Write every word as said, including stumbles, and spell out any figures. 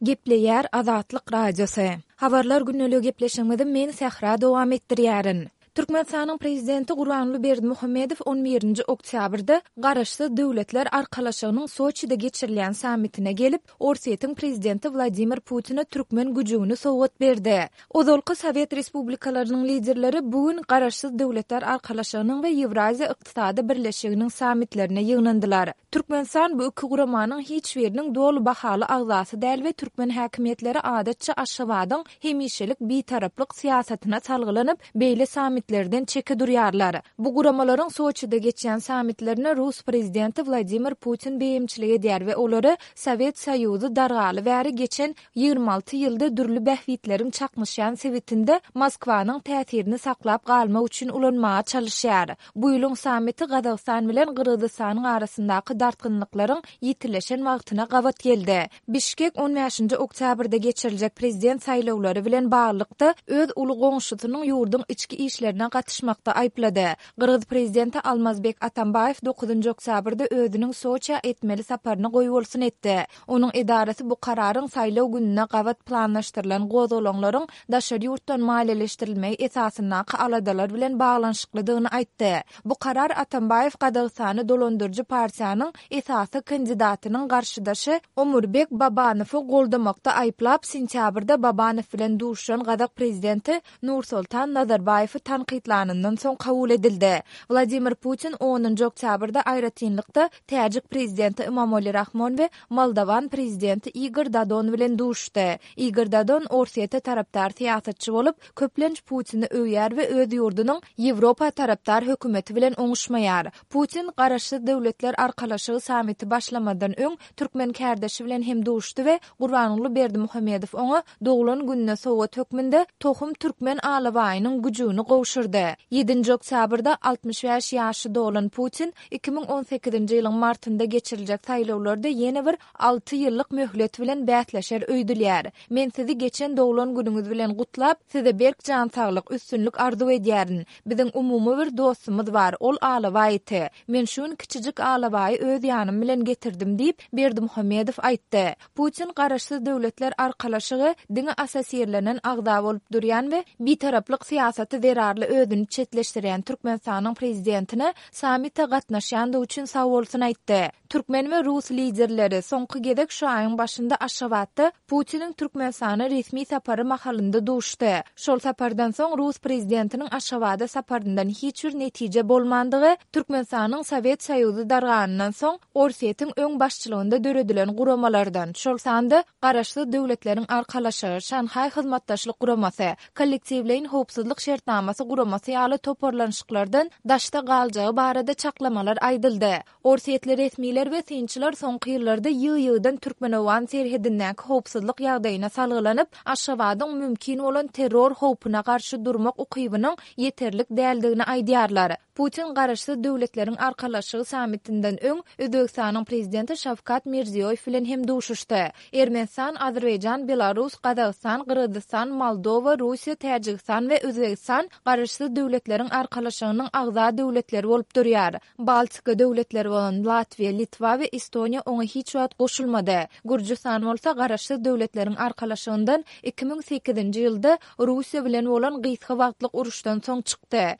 Gepleýär Azatlyk Radiosy. Habarlar gündeligi gepleşigimizi men Sähra dowam etdirýärin. Türkmenistanyň Prezidenti Gurbanguly Berdimuhamedow on birinji oktýabrda Garaşsyz Döwletler Arkalaşygynyň Soçide geçirilýän sammitine gelip, Orsýetiň Prezidenti Wladimir Putine türkmen güjügini sowgat berdi. Ozalky sowet respublikalarynyň liderleri bu gün Garaşsyz Döwletler Arkalaşygynyň we Ýewraziýa Ykdysady Birleşiginiň sammitlerine ýygnandylar. Türkmenistan bu iki guramanyň hiç biriniň doly bahaly agzasy däl we türkmen häkimiýetleri adatça Aşgabadyň hemişelik bitaraplyk syýasatyna salgylanyp, beýle sammitlerden çeke durýarlar. Bu guramalaryň Soçide geçýän sammitlerine rus prezidenti Wladimir Putin beýemçilik edýär we olary Sowet Soýuzy dargaly bäri geçen ýigrimi alty ýylda dürli bähbitleriň çaknyşýan sebitinde Moskwanyň täsirini saklap galmak üçin ulanmaga çalyşýar. Bu ýylyň sammiti Gazagystan bilen Gyrgyzystanyň arasyndaky dartgynlyklaryň ýitileşen wagtyna gabat geldi. Bişkek on bäşinji oktýabrda geçiriljek prezident saýlawlary bilen baglylykda öz uly goňşusynyň ýurduň içki işlerine gatyşmakda aýyplady. Gyrgyz prezidenti Almazbek Atambaýew dokuzynjy oktýabrda özüniň Soçä etmeli saparyny goýbolsun etdi. Onuň edarasy bu kararyň saýlaw gününe gabat planlaşdyrylan gozgalaňlaryň daşary ýurtdan maliýeleşdirilmegi esasyndaky aladalar bilen baglanyşyklydygyny aýtdy. Bu karar Atambaýew Gazagystany dolandyryjy partiýanyň esasy kandidatynyň garşydaşy Omurbek Babanowy goldamakda aýyplap, sentýabrda Babanow bilen duşuşan gazak prezidenti Nursoltan Nazarbaýewi tankytlanyndan soň kabul edildi. Wladimir Putin onunjy oktýabrda aýratynlykda täjik prezidenti Imamoli Rahmon we moldowan prezidenti Igor Dodon bilen duşuşdy. Igor Dodon Orsýete tarapdar syýasatçy bolup, köplenç Putini öwýär we öz ýurdunyň Ýewropa tarapdar hökümeti bilen oňuşmaýar. Putin Garaşsyz Döwletler Arkalaşygy sammiti başlamadan öň türkmen kärdeşi bilen hem duşdy we Gurbanguly Berdimuhamedow oňa doglan gününe sowgat hökmünde tohum türkmen alabaýynyň güjügini gowşurdy. Ýedinji oktýabrda altmyş bäş ýaşy dolan Putin iki müň on sekizinji ýylyň martynda geçiriljek saýlawlarda ýene bir alty ýyllyk möhlet bilen bäsleşer öýdülýär. Men sizi geçen doglan günüňiz bilen gutlap, size berk jan saglyk, üstünlik arzuw edýärin. Biziň umumy bir dostumyz bar, ol alabaý iti. Men şu gün kiçijik alabaýy öz ýanym bilen getirdim diýip, Berdimuhamedow aýtdy. Putin Garaşsyz Döwletler Arkalaşygy diňe assosirlenen agza bolup durýan we bitaraplyk syýasaty zerarly özüni çetleşdirýän Türkmenistanyň prezidentine sammite gatnaşýandygy üçin sagbolsun aýtdy. Türkmen we rus liderleri soňky gezek şu aýyň başynda Aşgabatda Putiniň Türkmenistana resmi sapary mahalynda duşdy. Şol sapardan soň rus prezidentiniň Aşgabada saparyndan hiç bir netije bolmandygy, Türkmenistanyň Sowet Soýuzy darganyndan soň Orsýetiň öň başçylygynda döredilen guramalardan, şol sanda Garaşsyz Döwletleriň Arkalaşygy, Şanhaý Hyzmatdaşlyk Guramasy, Kollektiwleýin Howpsuzlyk Şertnamasy Guramasy ýaly toparlanyşyklardan daşda galjagy barada çaklamalar aýdyldy. Orsýetli resmiler we synçylar soňky ýyllarda ýygy-ýygydan türkmen-owgan serhedindäki howpsuzlyk ýagdaýyna salgylanyp, Aşgabadyň mümkin bolan terror howpuna garşy durmak ukybynyň ýeterlik däldigini aýdýarlar. Putin Garaşsyz Döwletleriň Arkalaşygy sammitinden öň Özbegistanyň prezidenti Şawkat Mirziýoýew bilen hem duşuşdy. Ermenistan, Azerbaýjan, Belarus, Gazagystan, Gyrgyzystan, Moldowa, Russiýa, Täjigistan we Özbegistan Garaşsyz Döwletleriň Arkalaşygynyň agza döwletleri bolup durýar. Baltika döwletleri bolan Latwiýa, Litwa we Estoniýa oňa hiç wagt goşulmady. Gürjüstan bolsa Garaşsyz Döwletleriň Arkalaşygyndan iki müň sekizinji ýylda Russiýa bilen bolan gysga wagtlyk uruşdan soň çykdy.